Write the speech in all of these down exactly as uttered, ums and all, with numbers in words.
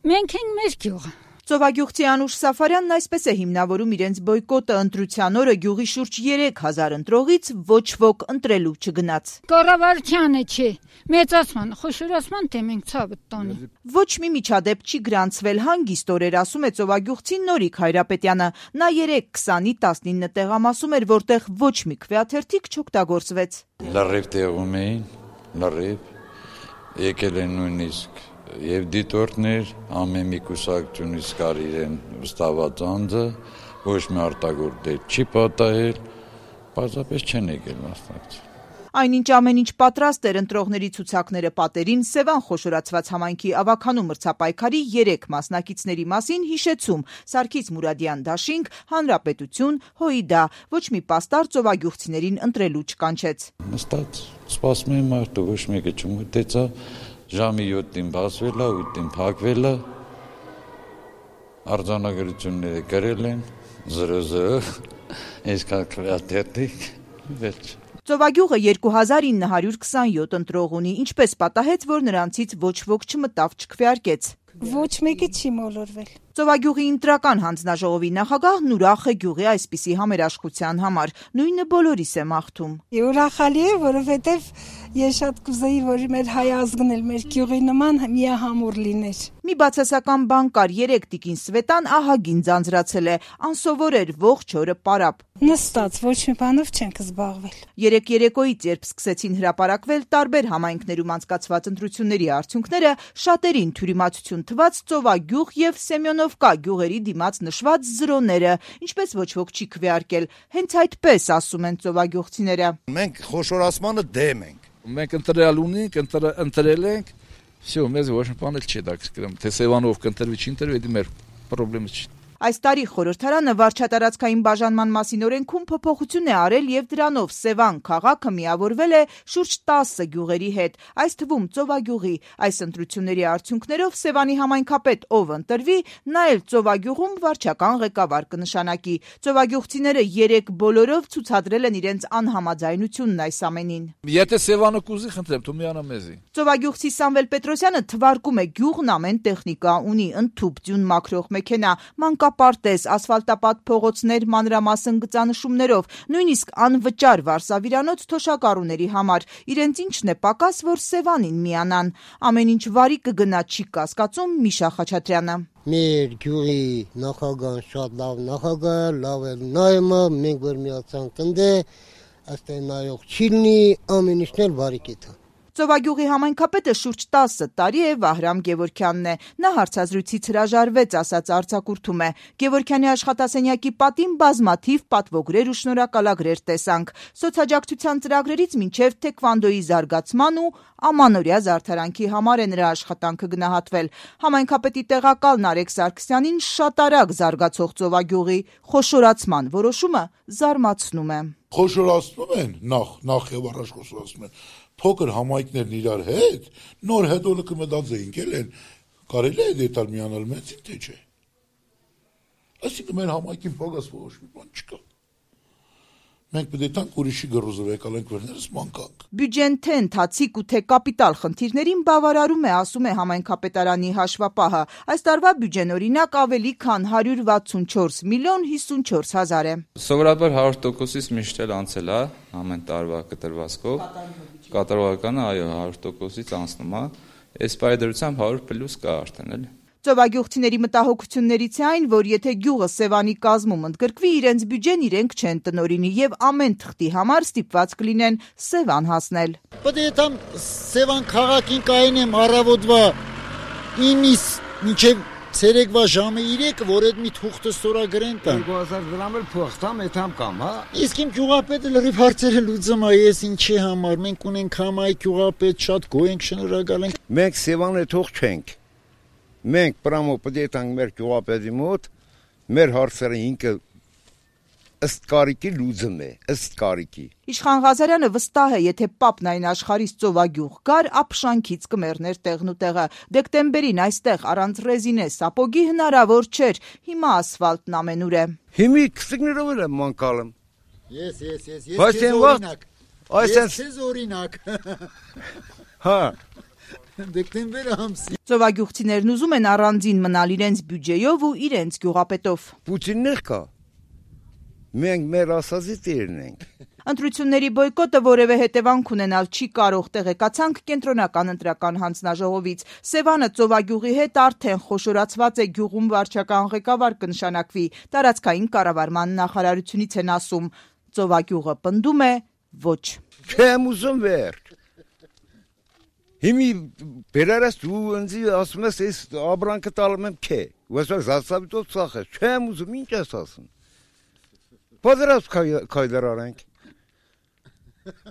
Մենք ենք մեր գյուղը։ Ծովագյուղցի Անուշ Սաֆարյանն այսպես է հիմնավորում իրենց բոյկոտը ընտրության օրը գյուղի շուրջ երեք հազար ընտրողից ոչ ոք ընտրելու չգնաց։ Կառավարությանը չի, մեծացման, խոշորացման թե մենք ցավը տոնի։ Ոչ մի միջադեպ չի գրանցվել հանգիստ օրեր, ասում է ծովագյուղցի Նորիկ Հայրապետյանը։ Նա երեկ քսանի տասնինը տեղամասում էր, որտեղ ոչ մի քվեաթերթիկ չօգտագործվեց։ Լրիվ տեղում էին, լրիվ եկել են նույնիսկ եւ դիտորդներ ամեն մի կուսակցությունից կար իրեն վստահված անձը, ոչ մի արտագործ դեր չի պատահել, պարզապես չեն եկել մասնակցել։ Այնինչ ամեն ինչ պատրաստ էր ընտրողների ցուցակները պատերին, Սևան խոշորացված համայնքի ավագանու մրցապայքարի երեք մասնակիցների մասին հիշեցում Սարգիս Մուրադյան դաշինք, Հանրապետություն, ՀՅԴ, ոչ մի պաստառ ծովագյուղցիներին ընտրելու չկանչեց։ Նստած սպասում են մարդը, ոչ մեկը չմտեցավ, ժամի յոթին բացվել է, ութին փակվել է, արձանագրությունները գրել են, զրոզը, այսքան քվեաթերթիկ, վերջ։ Ծովագյուղը երկու հազար ինը հարյուր քսանյոթ ընտրող ունի, ինչպես պատահեց, որ նրանցից ոչ ոք չմտավ, չքվեարկեց։ Ոչ մեկը չի մոլորվել։ Ծովագյուղի ընտրական հանձնաժողովի նախագահն ուրախ է գյուղի այսպիսի համերաշխության համար, նույնը բոլորիս է մաղթում։ Ուրախալի է, որովհետև ես շատ կուզեի, որ մեր հայ ազգն էլ մեր գյուղի նման միահամուռ լիներ։ Մի բացասական բան կար, երեք տիկին Սվետան ահագին ձանձրացել է, անսովոր էր ողջ օրը պարապ։ Նստած, ոչ մի բանով չենք զբաղվել։ Երեք երեկոյից, երբ սկսեցին հրապարակվել տարբեր համայնքներում անցկացված ընտրությունների արդյունքները, շատերին թյուրիմացություն թվաց Ծովագյուղ եւ Սեմյոնովկա գյուղերի դիմաց նշված զրոները, ինչպես ոչ ոք չի քվեարկել։ Հենց այդպես ասում են ծովագյուղցիները։ Մենք խոշորացմանը դեմ ենք։ Մենք ընտրել ունենք, ընտրել ենք, всё, մեզ ոչ մի բան չի դակսկրում, թե Սևանով կընտրվի, չի ընտրվի, դա մեր խնդրը չի։ Այս տարի խորհրդարանը վարչատարածքային բաժանման մասին օրենքում փոփոխություն է արել եւ դրանով Սևան քաղաքը միավորվել է շուրջ տասը գյուղերի հետ, այս թվում Ծովագյուղի։ Այս ընտրությունների արդյունքներով Սևանի համայնքապետ ով ընտրվի, նա էլ Ծովագյուղում վարչական ղեկավար կնշանակի։ Ծովագյուղցիները երեք բոլորով ցուցադրել են իրենց անհամաձայնությունն այս ամենին։ Եթե Սևանը կուզի, խնդրեմ, դու միանա մեզի։ Ծովագյուղցի Սամվել Պետրոսյանը թվարկում է գյուղն ամեն տեխնիկա ունի, ընդཐུպ ձյուն մաքրող մեքենա, մանկապարտեզ, ասֆալտապատ փողոցներ մանրամասն գծանշումներով, նույնիսկ անվճար վարսավիրանոց թոշակառուների համար։ Իրենց ինչն է պակաս, որ Սևանին միանան։ Ամեն ինչ վարի կգնա, չի կասկածում Միշա Խաչատրյանը։ Մեր գյուղի նախագահան շատ լավ նախագահ, լավ է նայումը, մենք որ միացանք ընդ է, այստեղ նայող չի լինի, ամեն ինչն էլ վարի կեթա։ Ծովագյուղի համայնքապետը շուրջ տասը տարի է Վահրամ Գևորգյանն է։ Նա հարցազրույցից հրաժարվեց, ասաց արձակուրդում է։ Գևորգյանի աշխատասենյակի պատին բազմաթիվ պատվոգրեր ու շնորհակալագրեր տեսանք։ Սոցիալաջակցության ծրագրերից մինչև թեքվանդոյի զարգացման ու ամանորյա զարդարանքի համար է նրա աշխատանքը գնահատվել։ Համայնքապետի տեղակալ Նարեկ Սարգսյանին շատ արագ զարգացող Ծովագյուղի խոշորացման որոշումը զարմացնում է։ Խոշորացնում են, նախ, նախ եւ առաջ խոշորացնում են։ Փոքր համայնքներն իրար հետ, նոր հետո կմտածեինք են, կարելի է դետալ միանալ մեծին, թե չէ։ Այսինքն մեր համայնքին փողաց ոչ մի բան չկա։ Մենք պետք է տանք ուրիշի գրոզով եկալենք վերներս մանկանք։ Բյուջեն թե ընթացիկ ու թե կապիտալ խնդիրներին բավարարում է, ասում է համայնքապետարանի հաշվապահը։ Այս տարվա բյուջեն օրինակ ավելի քան հարյուր վաթսունչորս միլիոն հիսունչորս հազար է։ Սովորաբար հարյուր տոկոսից միշտ էլ անցել է ամեն տարվա կտրվածքով։ Կատարողականը այո հարյուր տոկոսից անցնում է։ Այս պայդրությամբ հարյուր պլյուս կա արդեն էլի։ Ծովագյուղցիների մտահոգություններից է այն, որ եթե գյուղը Սևանի կազմում ընդգրկվի, իրենց բյուջեն իրենք չեն տնօրինի եւ ամեն թղթի համար ստիպված կլինեն Սևան հասնել։ Պետք է там Սևան քաղաքին կայնեմ առավոտվա ինից մինչև ցերեկվա ժամը երեք, որ այդ մի թուղթը ստորագրեն տան։ երկու հազար դրամ էլ փող տամ, այդամ կամ, հա։ Իսկ իմ գյուղապետը լրիվ հարցերը լուծում է, ես ինչի համար, մենք ունենք համայնք գյուղապետ, շատ գոհ ենք, շնորհակալ ենք։ Մենք Սևանը թող չենք։ Մենք պրամո պետք է տանք մեր գյուղապետի մոտ, մեր հարցերը ինքը ըստ կարիքի լուծում է, ըստ կարիքի։ Իշխան Ղազարյանը վստահ է, եթե Պապն այն աշխարհից Ծովագյուղ գար, ապշանքից կմեռներ տեղն ու տեղը։ Դեկտեմբերին այստեղ առանց ռեզինե սապոգի հնարավոր չէր, հիմա ասֆալտն ամենուր է։ Հիմի քսիկներով էլ եմ մանկալում։ Ես, ես, ես, ես քեզ օրինակ։ Ես քեզ օրինակ։ Հա։ դեկտեմբեր ամսի։ Ծովագյուղցիներն ուզում են առանձին մնալ իրենց բյուջեով ու իրենց գյուղապետով։ Պուտիններ կա։ Մենք մեր ասածի տերն ենք։ Ընտրությունների բոյկոտը որևէ հետևանք ունենալ չի կարող, տեղեկացանք կենտրոնական ընտրական հանձնաժողովից։ Սևանը ծովագյուղի հետ արդեն խոշորացված է, գյուղում վարչական ղեկավար կնշանակվի, տարածքային կառավարման նախարարությունից են ասում։ Ծովագյուղը պնդում է ոչ։ Չեմ ուզում վերջ։ Հիմի բերարես դու ինձ ասում ես այս աբրանքը տալում եմ քե։ Ոսը զասավիտով ծախ է։ Չեմ ուզում, ինչ ես ասում։ Պատերազմ քայլեր արենք։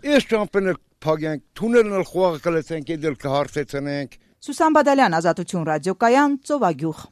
Ես ճամփեն փագենք, թունելն էլ խողը կլեցենք, դել կհարթեցնենք։ Սուսան Բադալյան, Ազատություն ռադիոկայան, Ծովագյուղ։